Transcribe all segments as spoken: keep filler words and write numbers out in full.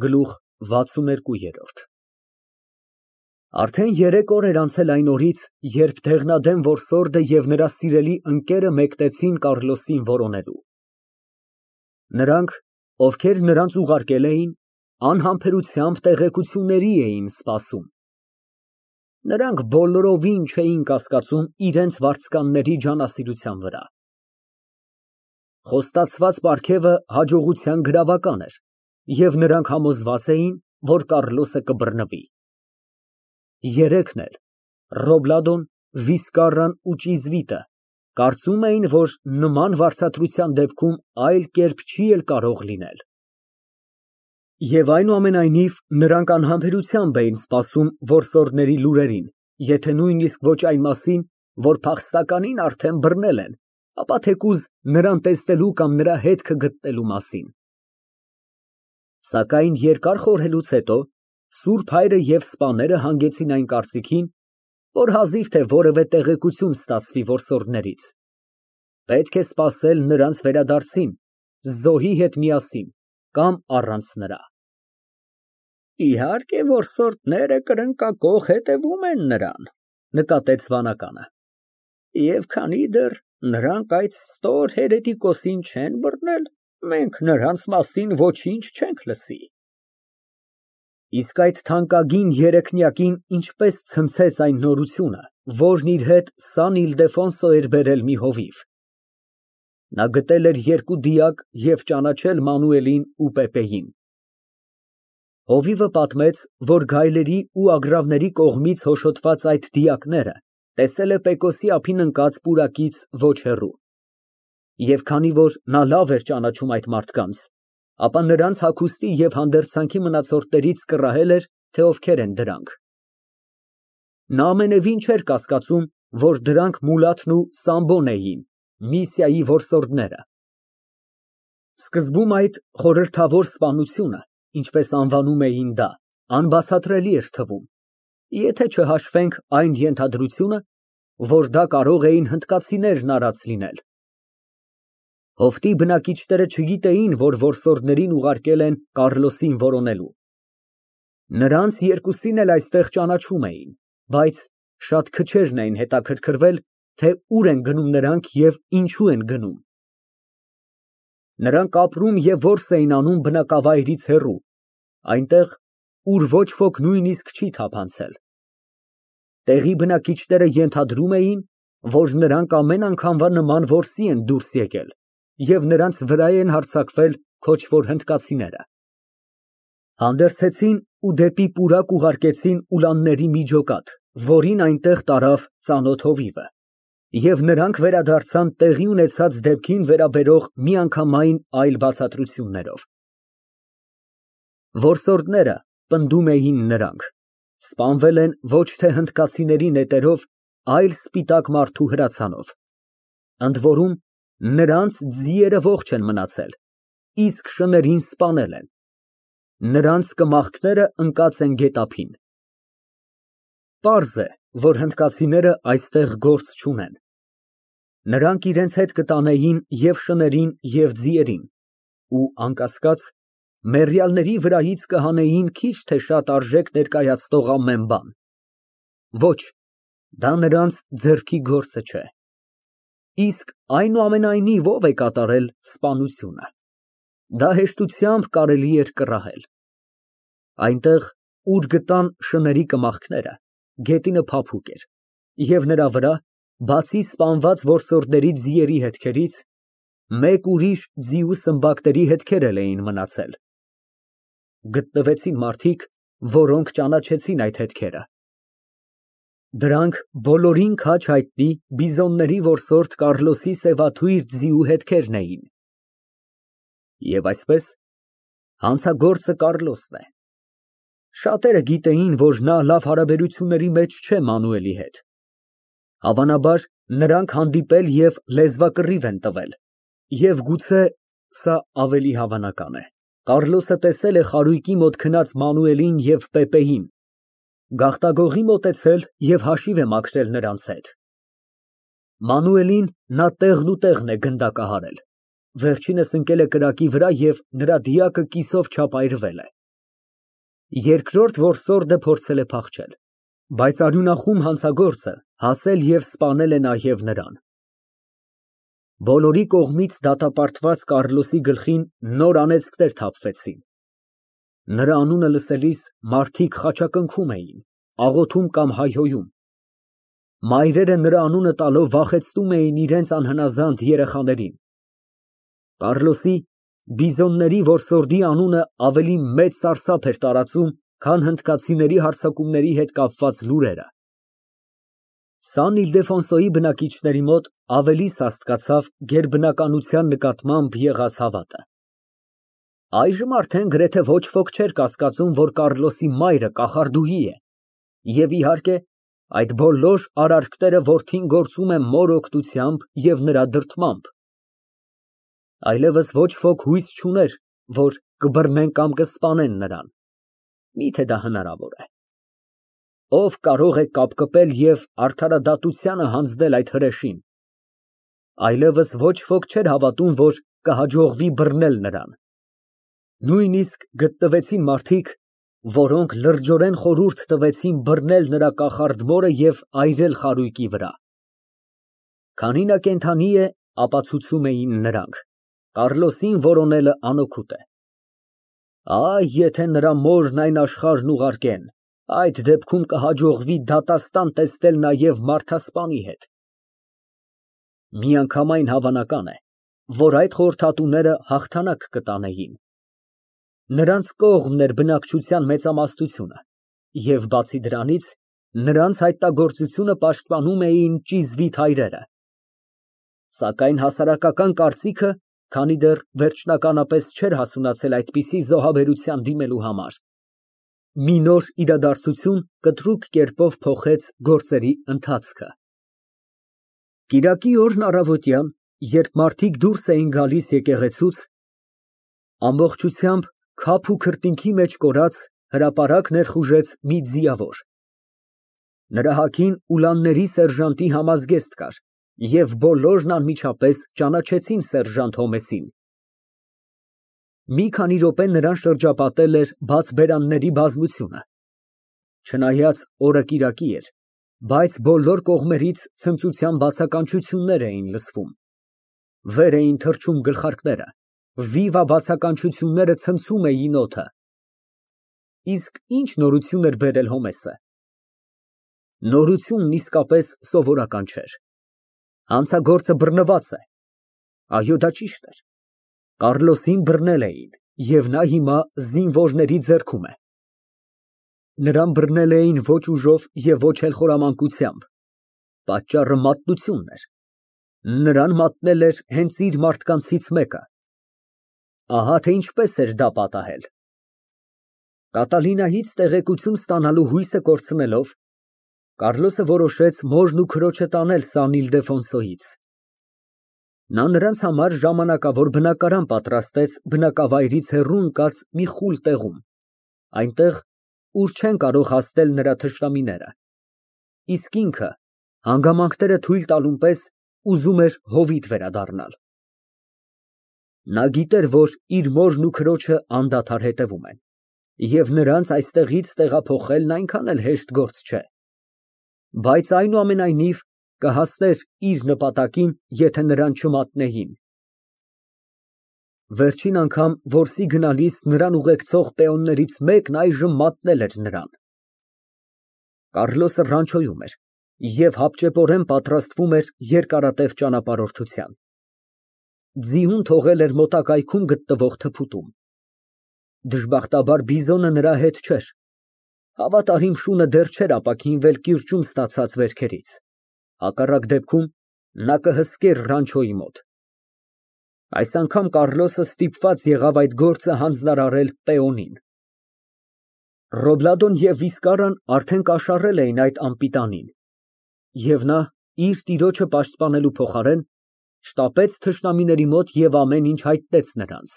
Գլուխ վաթսուներկու։ Արդեն երեք օր էր անցել այն օրից, երբ դեղնադեմ որսորդը և նրա սիրելի ընկերը մեկնեցին Կառլոսին որոնելու։ Նրանք, ովքեր նրանց ուղարկել էին, անհամբերությամբ տեղեկությունների էին սպասում։ Նրանք բոլորովին չէին կասկածում իրենց վարձկանների ջանասիրության վրա։ Խոստացված պարգևը հաջողության գրավական էր, և նրանք համոզված էին, որ Կառլոսը կբռնվի։ Երեքն էլ՝ Ռոբլադոն, Վիսկարրան ու Ճիզվիտը, կարծում էին, որ նման վարձատրության դեպքում այլ կերպ չի էլ կարող լինել։ Եվ այնուամենայնիվ, նրանք անհամբերությամբ էին սպասում որսորդների լուրերին, եթե նույնիսկ ոչ այն մասին, որ փախստականին արդեն բռնել են, ապա թեկուզ նրան տեսնելու կամ նրա հետքը գտնելու մասին։ Սակայն երկար խորհելուց հետո Սուրբ Հայրը և սպաները հանգեցին այն կարծիքին, որ հազիվ թե որևէ տեղեկություն ստացվի որսորդներից։ Պետք է սպասել նրանց վերադարձին, զոհի հետ միասին կամ առանց նրա։ Իհարկե, որսորդները կրկնակոխ հետևում են նրան, նկատեց վանականը, և քանի դեռ նրանք այդ ստոր հերետիկոսին չեն բռնել, մենք նրանց մասին ոչինչ չենք լսի։ Իսկ այդ թանկագին երեկնյակին ինչպես ցնցեց այն նորությունը, որն իր հետ Սան Իլդեֆոնսո էր բերել մի հովիվ։ Նա գտել էր երկու դիակ և ճանաչել Մանուելին ու Պեպեին։ Հովիվը պատմեց, որ գայլերի ու ագռավների կողմից հոշոտված այդ դիակները տեսել է Պեկոսի ափին ընկած պուրակից ոչ հեռու։ Եվ քանի որ նա լավ էր ճանաչում այդ մարդկանց, ապա նրանց հագուստի և հանդերձանքի մնացորդներից կռահել էր, թե ովքեր են դրանք։ Նա ամենևին չէր կասկածում, որ դրանք Մուլաթն ու Սամբոն էին, Միսիայի որսորդները։ Սկզբում այդ խորհրդավոր սպանությունը, ինչպես անվանում էին դա, անբացատրելի էր թվում, եթե չհաշվենք այն ենթադրությունը, որ դա կարող էին հնդկացիներն արած լինել։ Հովտի բնակիչները չգիտեին, որ որսորդներին ուղարկել են Կառլոսին որոնելու։ Նրանց երկուսին էլ այստեղ ճանաչում էին, բայց շատ քչերն էին հետաքրքրվել, թե ուր են գնում նրանք և ինչու են գնում։ Նրանք ապրում և որս էին անում բնակավայրից հեռու, այնտեղ, ուր ոչ ոք նույնիսկ չի թափանցել։ Տեղի բնակիչները ենթադրում էին, որ նրանք ամեն անգամվա նման որսի են դուրս եկել և նրանց վրա են հարձակվել քոչվոր հնդկացիները։ Հանդերձեցին ու դեպի պուրակ ուղարկեցին ուլանների մի ջոկատ, որին այնտեղ տարավ ծանոթ հովիվը, և նրանք վերադարձան տեղի ունեցած դեպքին վերաբերող միանգամայն այլ բացատրություններով։ Որսորդները, պնդում էին նրանք, սպանվել են ոչ թե հնդկացիների նետերով, այլ սպիտակ մարդու հրացանով, ընդ որում նրանց ձիերը ողջ են մնացել, իսկ շներին սպանել են։ Նրանց կմախքները ընկած են գետափին։ Պարզ է, որ հնդկացիները այստեղ գործ չունեն։ Նրանք իրենց հետ կտանեին և շներին, և ձիերին ու, անկասկած, մեռյալների վրայից կհանեին քիչ թե շատ արժեք ներկայացնող ամեն բան։ Ոչ, դա նրանց ձեռքի գործը չէ։ Իսկ այնուամենայնիվ ո՞վ է կատարել սպանությունը։ Դա հեշտությամբ կարելի էր կռահել։ Այնտեղ, ուր գտան շների կմախքները, գետինը փափուկ էր, և նրա վրա, բացի սպանված որսորդների ձիերի հետքերից, մեկ ուրիշ ձիու սմբակների հետքեր էլ էին մնացել։ Գտնվեցին մարդիկ, որոնք ճանաչեցին այդ հետքերը։ Դրանք բոլորին քաջ հայտնի բիզոնների որսորդ Կառլոսի սևաթույր ձիու հետքերն էին։ Եվ այսպես, հանցագործը Կառլոսն է։ Շատերը գիտեին, որ նա լավ հարաբերությունների մեջ չէ Մանուելի հետ։ Հավանաբար, նրանք հանդիպել և լեզվակռիվ են տվել, և գուցե (սա ավելի հավանական է) Կառլոսը տեսել է խարույկի մոտ քնած Մանուելին և Պեպեին, գաղտագողի մոտեցել և հաշիվ է մաքրել նրանց հետ։ Մանուելին նա տեղնուտեղն է գնդակահարել, վերջինս ընկել է կրակի վրա և նրա դիակը կիսով չափ այրվել է։ Երկրորդ որսորդը փորձել է փախչել, բայց արյունախում հանցագործը հասել և սպանել է նաև նրան։ Բոլորի կողմից դատապարտված Կառլոսի գլխին նոր անեծքներ թափվեցին։ Նրա անունը լսելիս մարդիկ խաչակնքում էին, աղոթում կամ հայհոյում։ Մայրերը նրա անունը տալով վախեցնում էին իրենց անհնազանդ երեխաներին։ Կառլոսի՝ բիզոնների որսորդի անունը ավելի մեծ սարսափ էր տարածում, քան հնդկացիների հարձակումների հետ կապված լուրերը։ Սան Իլդեֆոնսոյի բնակիչների մոտ ավելի սաստկացավ գերբնականության նկատմամբ եղած հավատը։ Այժմ արդեն գրեթե ոչ ոք չէր կասկածում, որ Կառլոսի մայրը կախարդուհի է, և, իհարկե, այդ բոլոր արարքները որդին գործում է մոր օգնությամբ և նրա դրդմամբ։ Այլևս ոչ ոք հույս չուներ, որ կբռնեն կամ կսպանեն նրան, միթե դա հնարավոր է։ Ով կարող է կապկպել և արդարադատությանը հանձնել այդ հրեշին։ Այլևս ոչ ոք չէր հավատում, որ կհաջողվի բռնել նրան։ Նույնիսկ գտնվեցին մարդիկ, որոնք լրջորեն խորհուրդ տվեցին բռնել նրա կախարդ մորը և այրել խարույկի վրա։ Քանի նա կենդանի է, ապացուցում էին նրանք, Կառլոսին որոնելը անօգուտ է։ Այ, եթե նրա մորն այն աշխարհն ուղարկեն, այդ դեպքում կհաջողվի դատաստան տեսնել նաև մարդասպանի հետ։ Միանգամայն հավանական է, որ այդ խորհրդատուները հաղթանակ կտանեին։ Նրանց կողմն էր բնակչության մեծամասնությունը, և բացի դրանից, նրանց հայտնագործությունը պաշտպանում էին ճիզվիտ հայրերը։ Սակայն հասարակական կարծիքը, քանի դեռ վերջնականապես չէր հասունացել այդպիսի զոհաբերության դիմելու համար, մի նոր իրադարձություն կտրուկ կերպով փոխեց գործերի ընթացքը։ Կիրակի օրն առավոտյան, երբ մարդիկ դուրս էին գալիս եկեղեցուց, ամբողջությամբ քափ ու քրտինքի մեջ կորած հրապարակ ներխուժեց մի ձիավոր։ Նրա հագին ուլանների սերժանտի համազգեստ կար, և բոլորն անմիջապես ճանաչեցին սերժանտ Հոմեսին։ Մի քանի րոպե նրան շրջապատել էր բաց բերանների բազմությունը։ Չնայած օրը կիրակի էր, բայց բոլոր կողմերից ցնծության բացականչություններ էին լսվում։ Վեր էին թռչում գլխարկները, վիվա բացականչությունները ցնցում էին օդը։ Իսկ ի՞նչ նորություն էր բերել Հոմեսը։ Նորությունն իսկապես սովորական չէր։ Հանցագործը բռնված է։ Այո, դա ճիշտ էր։ Կառլոսին բռնել էին, և նա հիմա զինվորների ձեռքում է։ Նրան բռնել էին ոչ ուժով և ոչ էլ խորամանկությամբ։ Պատճառը մատնությունն էր։ Նրան մատնել էր հենց իր մարդկանցից մեկը։ Ահա թե ինչպես էր դա պատահել։ Կատալինայից տեղեկություն ստանալու հույսը կորցնելով, Կառլոսը որոշեց մորն ու քրոջը տանել Սան Իլդեֆոնսոյից։ Նա նրանց համար ժամանակավոր բնակարան պատրաստեց բնակավայրից հեռու ընկած մի խուլ տեղում, այնտեղ, ուր չեն կարող հասնել նրա թշնամիները, իսկ ինքը, հանգամանքները թույլ տալուն պես, ուզում էր հովիտ վերադառնալ։ Նա գիտեր, որ իր մորն ու քրոջը անդադար հետևում են, և նրանց այստեղից տեղափոխելն այնքան էլ հեշտ գործ չէ, բայց այնուամենայնիվ կհասներ իր նպատակին, եթե նրան չմատնեին։ Վերջին անգամ որսի գնալիս նրան ուղեկցող պեոններից մեկն այժմ մատնել էր նրան։ Կառլոսը ռանչոյում էր և հապճեպորեն պատրաստվում էր երկարատև ճանապարհորդության։ Ձիուն թողել էր մոտակայքում գտնվող թփուտում։ Դժբախտաբար բիզոնը նրա հետ չէր։ Հավատարիմ շունը դեռ չէր ապաքինվել կիրճում ստացած վերքերից, հակառակ դեպքում նա կհսկեր ռանչոյի մոտ։ Այս անգամ Կառլոսը ստիպված եղավ այդ գործը հանձնարարել պեոնին։ Ռոբլադոն և Վիսկարան արդեն կաշառել էին այդ անպիտանին, և նա, իր տիրոջը պաշտպանելու փոխարեն, շտապեց թշնամիների մոտ և ամեն ինչ հայտնեց նրանց։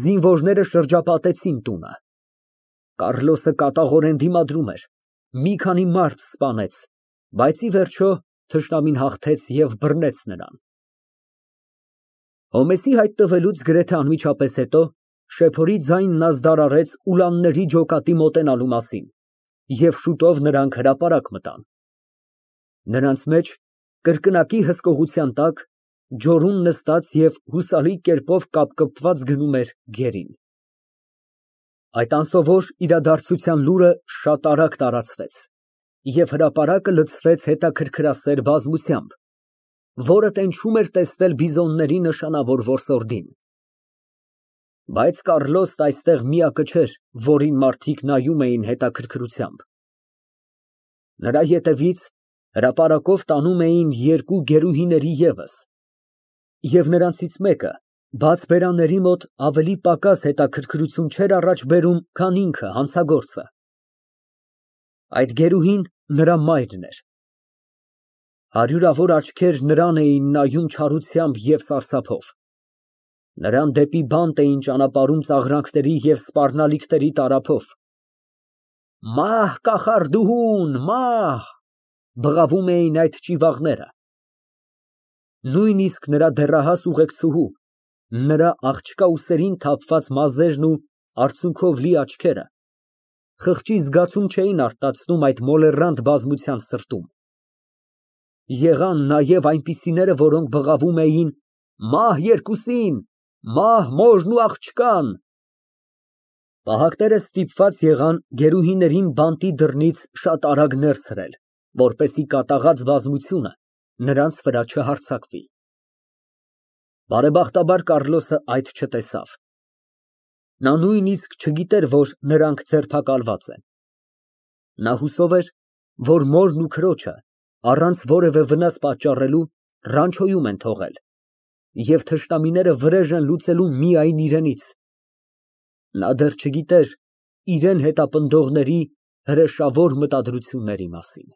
Զինվորները շրջապատեցին տունը։ Կառլոսը կատաղորեն դիմադրում էր, մի քանի մարդ սպանեց, բայց ի վերջո թշնամին հաղթեց և բռնեց նրան։ Հոմեսի հայտնվելուց գրեթե անմիջապես հետո Շեփորի ձայնն ազդարարեց ուլանների ջոկատի մոտենալու մասին, և շուտով նրանք հրապարակ մտան։ Նրանց մեջ, կրկնակի հսկողության տակ, ջորուն նստած և հուսալի կերպով կապկպված գնում էր գերին։ Այդ անսովոր իրադարձության լուրը շատ արագ տարածվեց, և հրապարակը լցվեց հետաքրքրասեր բազմությամբ, որը տենչում էր տեսնել բիզոնների նշանավոր որսորդին։ Բայց Կառլոսն այստեղ միակը չէր, որին մարդիկ նայում էին հետաքրքրությամբ։ Նրա ետևից հրապարակով տանում էին երկու գերուհիների ևս, և նրանցից մեկը բաց բերանների մոտ ավելի պակաս հետաքրքրություն չէր առաջ բերում, քան ինքը հանցագործը։ Այդ գերուհին նրա մայրն էր։ Հարյուրավոր աչքեր նրան էին նայում չարությամբ և սարսափով։ Նրան դեպի բանտ էին ճանապարհում ծաղրանքների և սպառնալիքների տարափով։ «Մահ կախարդուհուն, մահ», բղավում էին այդ ճիվաղները։ Նույնիսկ նրա դեռահաս ուղեկցուհու, նրա աղջկա ուսերին թափված մազերն ու արցունքով լի աչքերը խղճի զգացում չէին արտացնում այդ մոլեռանդ բազմության սրտում։ Եղան նաև այնպիսիները, որոնք բղավում էին. «Մահ երկուսին, մահ մորն ու աղջկան»։ Պահակները ստիպված եղան գերուհիներին բանտի դռնից շատ արագ ներս հրել, որպեսզի կատաղած բազմությունը նրանց վրա չհարձակվի։ Բարեբախտաբար Կառլոսը այդ չտեսավ։ Նա նույնիսկ չգիտեր, որ նրանք ձերբակալված են։ Նա հուսով էր, որ մորն ու քրոջը, առանց որևէ վնաս պատճառելու, ռանչոյում են թողել, և թշնամիները վրեժ են լուծելու միայն իրենից։ Նա դեռ չգիտեր իրան հետապնդողների հրեշավոր մտադրությունների մասին։